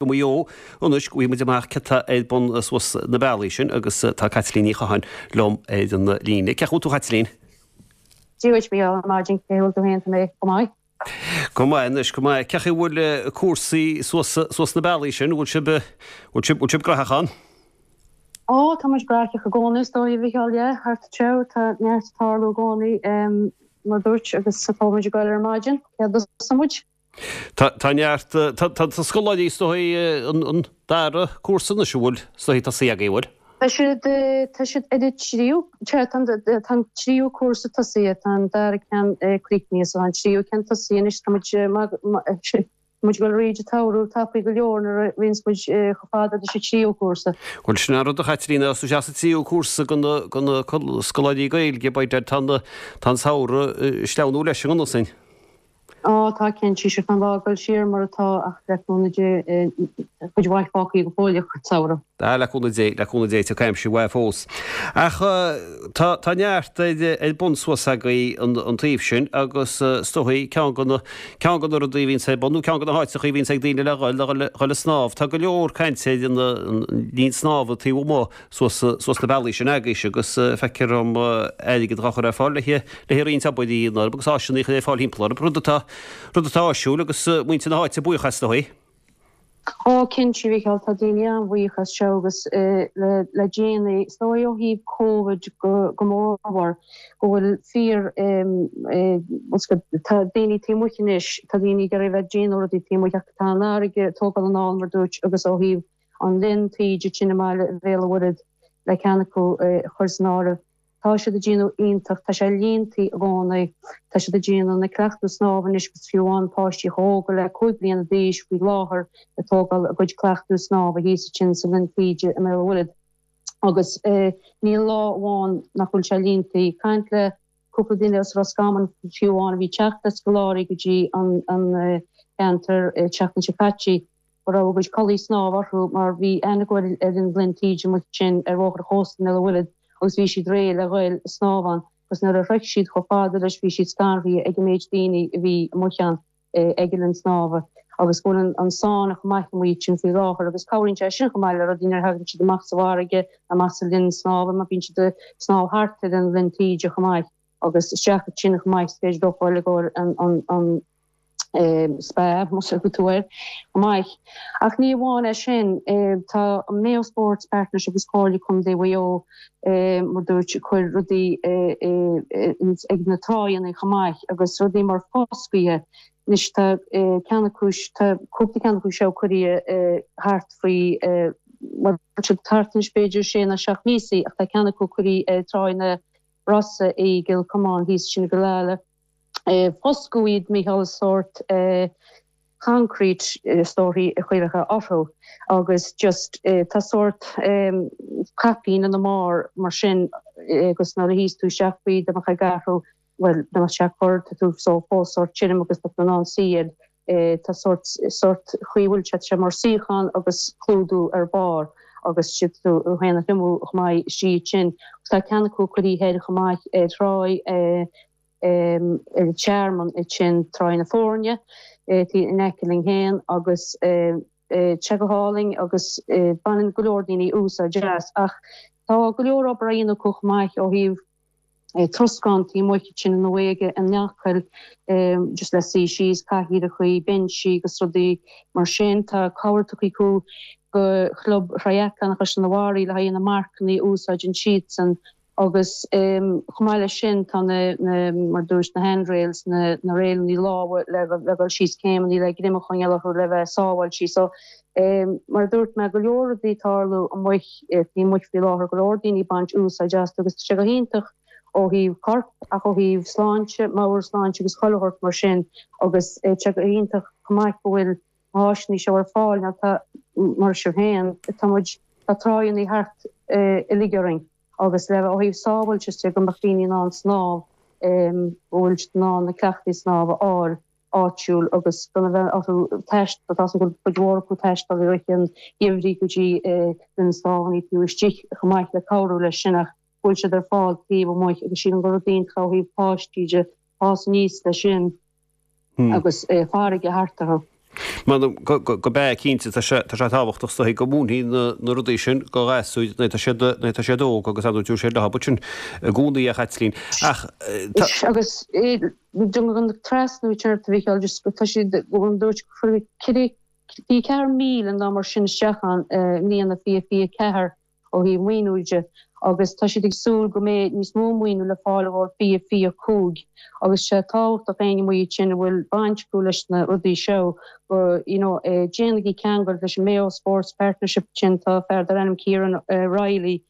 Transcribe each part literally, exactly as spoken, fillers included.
Go Maigh Eo anois go bhfaighidh muid amach cad tá ar bun suas na bealaí sin agus tá Caitlín Ní Chatháin liom ar an líne. Cén chaoi a bhfuil tú Caitlín? Dia duit Mícheál ar maidin cén chaoi a bhfuil tú féin tá mé go maith. Go maith anois go maith. Cén chaoi a bhfuil cúrsaí suas suas na bealaí sin, bhfuil sibh bhfuil sibh bhfuil sibh graitheach ann? Ó tá muid graitheach i gcónaí is dóigh a Mhícheáil yeah thart anseo tá neart ag tarlú i gcónaí mar dúirt agus tá muid ag goil ar maidin cé dos muid. Tá neart tá scoláirí is dóigh an dara cúrsa anois an bhfuil is dóigh tosaithe agaibh bhfuil? Tá siad tá siad ar an tríú tá an tríú cúrsa tosaithe tá an dara ceann críochnaithe so an tríú ceann tosaithe anois tá muid muid ag goil thríd an tsamhradh tapaidh go leor nuair a bhíonns muid chomh fada leis an tríú cúrsa. Bhuel sin an rud a Chaitlín is sa tríú cúrsa go na scoláirí Gaeilge b'fhéidir tá tá an samhradh ag sleamhnú leis an gconas sin. Ó tá cinnte sé an lá ag dul siar mar atá ach le cúnamh Dé cuid mhaith fágtha go fóill an samhradh. Á le cúnamh Dé, le cúnamh Dé tiocfaidh aimsir mhaith fós. Ach tá tá neart ar ar bun suas agaibh an an taobh sin agus is dóigh ceann de na ceann de na rudaí a bhíonns ar bun nó ceann de na háiteacha a bhíonns ag daoine le dhul le dhul dhul ag snámh. Tá go leor cainte ar an an linn snámha taobh amuigh suas suas na bealaí sin agaibhse agus feictear dom airgead á chur ar fáil le le roinnt obair a dhéanamh orthu agus áiseanna a chur ar fáil thimpeall orthu, rud atá rud atá áisiúil agus muintir na háite buíoch as dóigh. Ó cinnte a Mhícheáil tá daoine an-bhuíoch as seo agus le le déanaí is dóigh ó thaobh Covid go go mórmhór go bhfuil fíor tá daoine taobh amuigh anois tá daoine ag iarraidh bheith ag déanamh rudaí taobh amuigh ach tá an fharraige ag tógáil anall mar dúirt agus ó thaobh an linn taoide sin i mbaile Bhéal an Mhuirthead le ceann acu a chur san áireamh. Tá siad ag déanamh iontach, tá sé líontaí i gcónaí, tá siad ag déanamh na cleachtadh snámha anois agus fiú amháin páistí chomh hóg le cúig bliana d'aois faoi láthair ag tógáil a gcuid cleachtadh snámha thíos ansin sa linn taoide i mBéal an Mhuirthead. Agus níl lá amháin nach bhfuil sé líontaí. Caint le cúpla duine as Roscommon fiú amháin a bhí ag teacht le scoláirí go dtí an ceantar an tseachtain seo caite, go raibh a gcuid culaith snámha orthu mar bhí aithne acu ar an linn taoide amuigh ansin ar bhóthar an chósta i mBéal an Mhuirthead agus bhí siad réidh le ghoil ag snámh ann agus nuair a shroich siad chomh fada leis bhí siad scanraithe ag an méid daoine a bhí amuigh ann ag an linn snámha agus go bhfuil an sáinn chomh maith amuigh ansin faoi láthair agus cabhraíonn sé sin chomh maith le rudaí nuair a thagann siad amach sa bhfarraige amach sa linn snámha mar bíonn siad ag snámh thart ar an linn taoide chomh maith agus isteach ansin chomh maith is féidir leo fáil i gcomhair an an an spa más ea tú air chomh maith. Ach ní amháin é sin, tá an Mayo Sports Partnership agus Comhairle Contae Mhaigh Eo, mar dúirt, ag cur rudaí ag na tráigheanna chomh maith agus rudaí mar foscaithe. Anois tá ceann acu, tá cúpla ceann acu seo curtha thart faoi, bhuel tá siad thart anois b'fhéidir sé nó seacht míosa ach tá ceann acu curtha ar Tráigh na Rosa i gCill Chomáin thíos sin i gCill Ala. Foscadh iad Mícheál sórt concrete is dóichí a chuirfeá orthu agus just tá sórt caipín ina mbarr mar sin agus nuair a shuíos tú isteach faoi dá mbeadh ag athrú bhuel dá mbeadh sé ag cur tá tú só fós sórt tirim agus tá tú in ann suí air tá sórt sórt chaoi bhfuil sé tá sé mar suíochán agus clúdú ar barr agus siad tú féin a thriomú chomh maith istigh ansin agus tá ceann acu curtha thoir chomh maith ar thráigh ar an Tearmann ansin Tráigh na Foirne in aice linn féin agus tá sé go hálainn agus baineann go leor daoine úsáid as ach tá go leor obair á dhéanamh acu chomh maith ó thaobh troscán taobh amuigh ansin nó ag an Acaill just le suí síos, cathaoireachaí, binsí agus rudaí mar sin. Tá cabhair tugtha acu go Chlub Thriathlon Chaisleán an Bharraigh le haghaidh na marcanna a úsáideann siadsan Agus chomh maith leis sin tá na, na, mar dúirt, na handrails, na, na réileanna lámha le, le dhul síos céimeanna le greim a choinneáil orthu le bheith sábháilte. So, mar a dúirt mé, go leor rudaí ag tarlú amuigh, taobh amuigh faoi láthair, go leor daoine ag baint úsáid astu agus tá sé go hiontach ó thaobh coirp ach ó thaobh sláinte, meabhairshláinte agus chuile shórt mar sin agus tá sé go hiontach chomh maith go bhfuil na háiseanna seo ar fáil nó tá, mar sibh féin, tá muid, tá tráigheanna thart uilig orainn. Agus le ó thaobh sábháilteachta de go mbeadh daoine in ann snámh, go bhfuil siad in ann na cleachtaí snámha a fháil áitiúil agus gan a bheith orthu taisteal, tá a fhios agam go bhfuil cuid mhór acu ag taisteal i rith an gheimhridh go dtí linn snámha taobh istigh chomh maith le cabhrú leis sin ach go bhfuil siad ar fáil taobh amuigh agus sílim gur rud iontach ó thaobh páistí de fás aníos leis sin agus farraige thart orthu. M'anam go b'ea cinnte, tá sé tábhachtach is dóichí go múinfí na rudaí sin do ghasúir nuair atá siad nuair atá siad óg agus ar ndóigh tabharfaidh siad leo sin i gcónaí a Chaitlín. Ach tá. Agus an trasnú sin a Mhícheáil just tá siad go dúirt go ceithre ceathair míle nó mar sin isteach ann i mbliana fiche fiche ceathair ó thaobh maoiniú de agus tá siad ag súil go mbeidh níos mó maoiniú le fáil ó fiche fiche cúig agus sé tábhachtach éinne amuigh ansin a bhfuil baint acu leis na rudaí seo go you know déanaigí ceangal leis an Mayo Sports Partnership sin tá fear dar ainm Kieran Reilly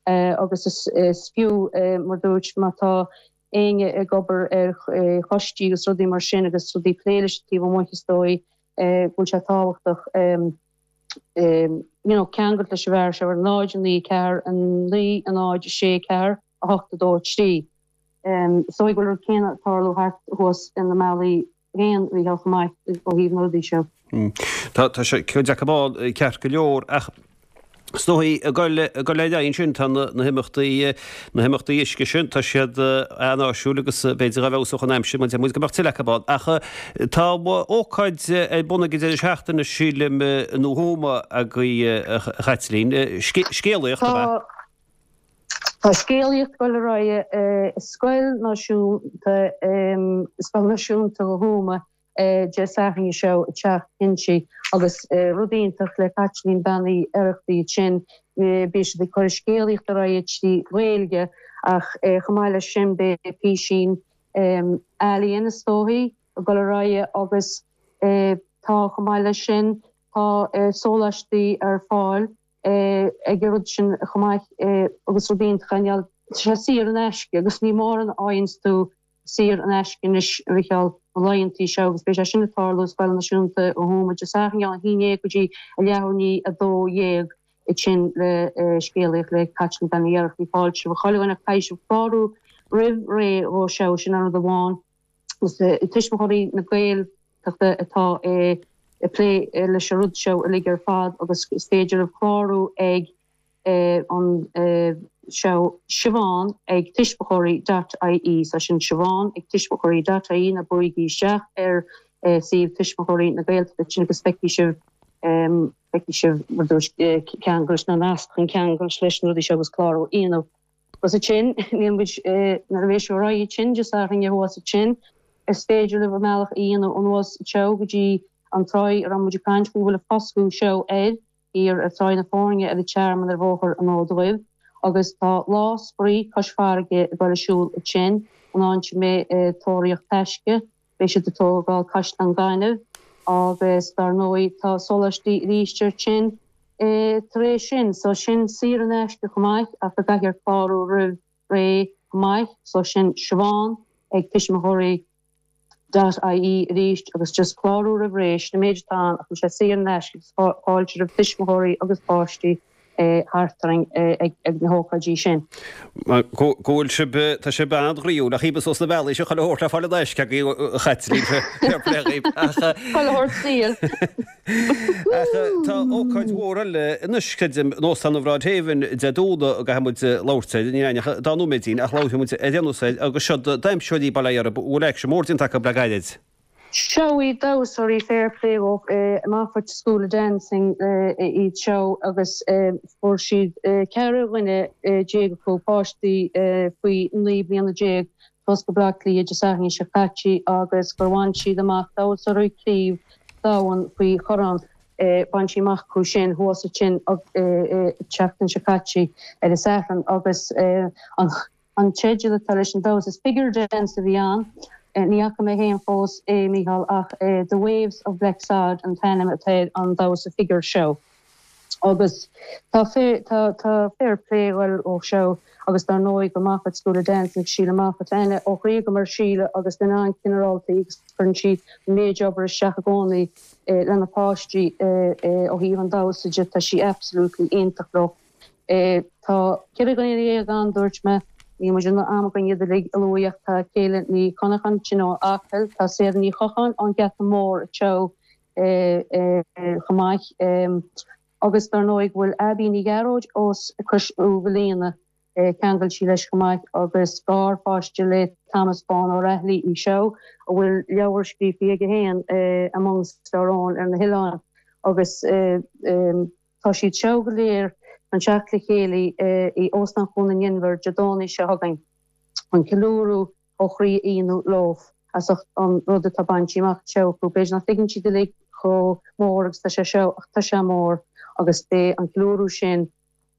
agus is fiú mar dúirt má tá éinne ag obair ar choistí agus rudaí mar sin agus rudaí plé leis taobh amuigh is dóigh go bhfuil sé tábhachtach you know ceangal leis an bhfear seo ar náid naoi ceathair a naoi a náid sé ceathair a hocht a dó a trí. So go bhfuil rud céanna ag tarlú thart thuas in na mbealaí féin a Mhícheáil chomh maith ó thaobh na rudaí seo. Tá tá sé cuid acu ceart go leor ach Is dóigh, ag dul ar aghaidh ansin, tá na himeachtaí, na himeachtaí uisce sin, tá siad an-áisiúil agus b'fhéidir dá bhfeabhsódh an aimsir, muid go mbeadh tuilleadh acu ann. Ach tá ócáid ar bun ag an deireadh seachtaine, sílim, i nDún Thuama agaibh, a Chaitlín. Scéalaíocht, ab ea? Tá scéalaíocht ag dul ar aghaidh i Scoil Náisiúnta, Scoil Náisiúnta Thuama, Dé Sathairn seo ag teacht cinnte agus rud iontach le Caitlín Bean Uí Oireachtaigh ansin beidh siad ag cur scéalaíocht ar aghaidh trí Ghaeilge ach chomh maith leis sin beidh písín ealaíon is dóichí ag dul ar aghaidh agus tá chomh maith leis sin tá sóláistí ar fáil ag an rud sin chomh maith agus rud iontach tá sé saor in aisce agus ní mórán a fhaigheanns tú saor in aisce anois, a Mhichíl, na laethantaí seo agus beidh sé sin ag tarlú i Scoil Náisiúnta Thuama Dé Sathairn óna haon déag go dtí a leathuair i ndiaidh a dó dhéag ansin le scéalaíocht le Caitlín Bean Uí Oireachtaigh. Fáilte roimh chuile dhuine ach caithfidh sibh clárú roimh ré dhó seo, sin an rud amháin. Is Tuismitheoirí na Gaeltachta atá ag plé leis an rud seo uilig ar fad agus is féidir libh clárú ag an seo Siobhán ag tuismitheoirí dot ie so sin Siobhán ag tuismitheoirí dot ie nó buailgí isteach ar suíomh Tuismitheoirí na Gaeltachta sin agus feicfidh sibh feicfidh sibh mar dúirt ceangal na nasc chun ceangal leis na rudaí seo agus clárú a dhéanamh. Agus ansin níl muid nuair a bheidh sibh ar aghaidh ansin Dé Sathairn thuas ansin is féidir libh an bealach a dhéanamh anuas anseo go dtí an tráigh a raibh muid ag caint faoi bhfuil an foscadh seo air thiar ar Tráigh na Foirne ar an Tearmann ar Bhóthar an Fhóid Dhuibh agus tá Lá Spraoi Cois Farraige ag dul ar siúl ansin, an áit a mbeidh tóraíocht taisce, beidh siad ag tógáil caisleán gainimh agus dar ndóigh tá sóláistí arís ansin tar éis sin, so sin saor in aisce chomh maith ach go gcaithfear clárú roimh ré chomh maith, so sin Siobhán ag tuismitheoirí. dot ie arís agus just clárú roimh ré, sin an méid atá ann ach tá sé saor in aisce agus fáilte roimh tuismitheoirí agus páistí thart orainn ag na hócáidí sin. Go bhfuil sibh, tá sibh an-ghnaíúil ach thíos sna bealaí seo chuile shórt le fáil in aisce agaibh a Chaitlín, fair play dhaoibh ach. Chuile shórt saor. Ach tá ócáid mhór eile anois, creidim, in Óstán an Bhroad Haven Dé Domhnaigh a gcaithfidh muid labhairt air, níl againn ach dá nóiméidín ach labharfaidh muid ar aon nós air agus seo damhsóirí Baile Átha Erb, a bhfuil aicsean mór déanta acu le gairid. Seo iad damhsóirí fair play ó Moffat School of Dancing iad seo agus fuair siad ceithre dhuine déag acu, páistí faoi naoi bliana déag, suas go Baile Átha Cliath Dé Sathairn seo caite agus gur bhain siad amach damhsóirí craobh domhain faoi chorn, bhain siad amach acu sin thuas ansin an tseachtain seo caite ar an Satharn agus an An teideal atá leis an damhsa is figure dance a bhí ann. Ní fhaca mé féin fós é, Mícheál, ach The Waves of Blacksod an t-ainm atá ar an damhsa figure seo. Agus tá tá tá fair play ag dul ó seo agus dar ndóigh go Moffat School of Dancing, Síle Moffat. Aithne ó chroí agam ar Síle agus duine an-chineálta í agus cuireann sí an méid obair isteach i gcónaí lena páistí ó thaobh an damhsa de. Tá sí absolutely iontach leo. Tá ceithre dhuine dhéag ann, dúirt mé. Níl muid in am againn iad uilig a lua ach tá Céile Ní Chonacháin ansin ó Acaill, tá Sarah Ní Chocháin ón Gheata Mór anseo chomh maith agus dar ndóigh go bhfuil Abby Ní Ghearóid ós Cois Uí Mhaoilíona Cheangail sí leis chomh maith agus garpháiste le Thomas Bán Ó Raghallaigh í seo a bhfuil leabhar scríofa aige féin Amongst Our Own ar na hoileáin agus tá siad seo go léir chun teacht le chéile i Óstán Chuan an Inbhir Dé Domhnaigh seo chugainn chun ceiliúradh ó chroí a dhéanamh leo as ucht an rud atá bainte amach seo acu. B'fhéidir nach dtuigeann siad uilig chomh mór agus tá sé seo ach tá sé mór agus beidh an ceiliúradh sin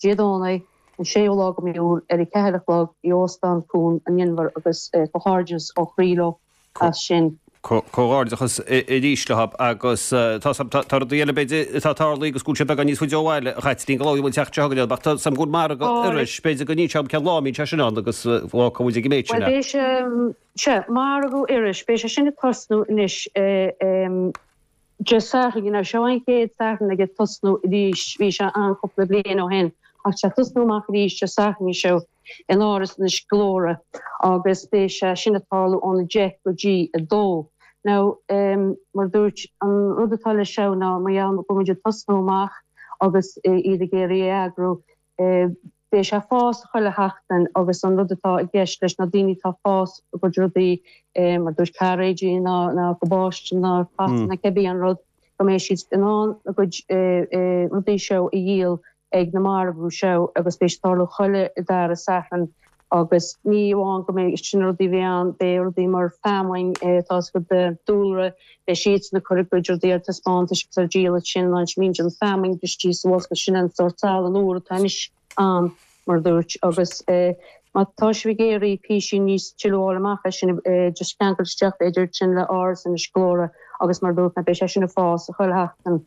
Dé Domhnaigh an séú lá de mhí Iúil ar a ceathair a chlog i Óstán Chuan an Inbhir agus comhghairdeas ó chroí leo as sin. Comhghairdeachas arís leo agus tá rudaí eile b'fhéidir atá ag tarlú agus go bhfuil sé beagán níos faide ó bhaile a Chaitlín go bhfuil teacht seo chugainn ach tá sam go bhfuil margadh Iorrais b'fhéidir go n-inseoidh cén lá a mbíonn sé sin ann agus fágfaidh muid ag an méid sin é. Bhuel beidh sé sea margadh Iorrais beidh sé sin ag tosnú anois Dé Sathairn you know seo an chéad Satharn ag tosnú arís bhí sé ann cúpla bliain ó shin ach sé tosnú amach arís Dé Sathairn seo in Áras Inis Gluaire agus beidh sé sin ag tarlú ón a deich go dtí a dó. Now um, mar dúirt an rud atá le seo ná mar gheall go bhfuil muid ag tosnú amach agus iad ag iarraidh é a eagrú beidh sé ag fás chuile sheachtain agus an rud atá i gceist leis na daoine atá ag fás a gcuid rudaí mar dúirt cairéidí ná ná cabáiste ná fata ná cibé an rud go mbeidh siad in ann a gcuid rudaí seo a dhíol ag na margadh seo agus beidh sé ag tarlú chuile dara Satharn agus ní amháin go mbeidh sin rudaí bheidh ann beidh rudaí mar feamainn tá a gcuid dúlra beidh siadsan ag cur a gcuid rudaí ar taispeántas agus ar díol sin an mín an feamainn istigh sa bhosca sin an sórt salann úr atá anois ann mar dúirt agus má tá sibh ag iarraidh píosaí níos tuilleadh a fháil amach é sin just ceangal isteach b'fhéidir sin le Áras Inis Gluaire agus mar dúirt mé beidh sé sin ag fás chuile sheachtain.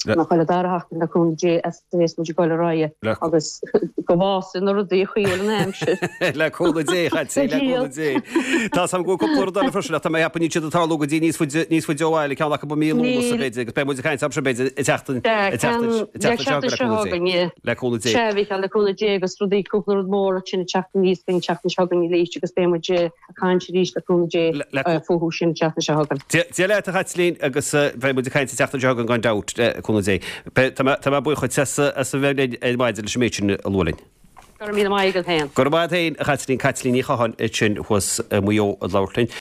Nó chuile dara sheachtain le cúnamh Dé as a bheas muid ag dul ar aghaidh agus go bhfásfaidh na rudaí a chuil an aimsir. Le cúnamh Dé, a Chaitlín, le cúnamh Dé. Tá 's agam go bhfuil cúpla rud eile freisin ach tá mé ag ceapadh níl siad ag tarlú go dtí níos faide níos faide ó bhaile, ceann acu i mí Lúnasa b'fhéidir agus beidh muid ag caint air sin b'fhéidir an tseachtain an tseachtain an tseachtain seo chugainn le cúnamh Dé. Le cúnamh Dé. Sea, a Mhícheáil, le cúnamh Dé agus rudaí cúpla rud mór ansin ag teacht aníos faoin tseachtain seo chugainn arís agus beidh muid ag caint arís le cúnamh Dé fúthu sin an tseachtain seo chugainn. Dia leat a Chaitlín agus beidh muid ag caint an tseachtain seo chugainn gan dabht. Cúnamh Dé. Tá mé buíoch dhuit as a bheith linn ar maidin leis an méid sin a lua linn. Go raibh míle maith agat féin. Go raibh maith agat féin, a Chaitlín, Caitlín Ní Chatháin ansin thuas i Maigh Eo ag labhairt linn.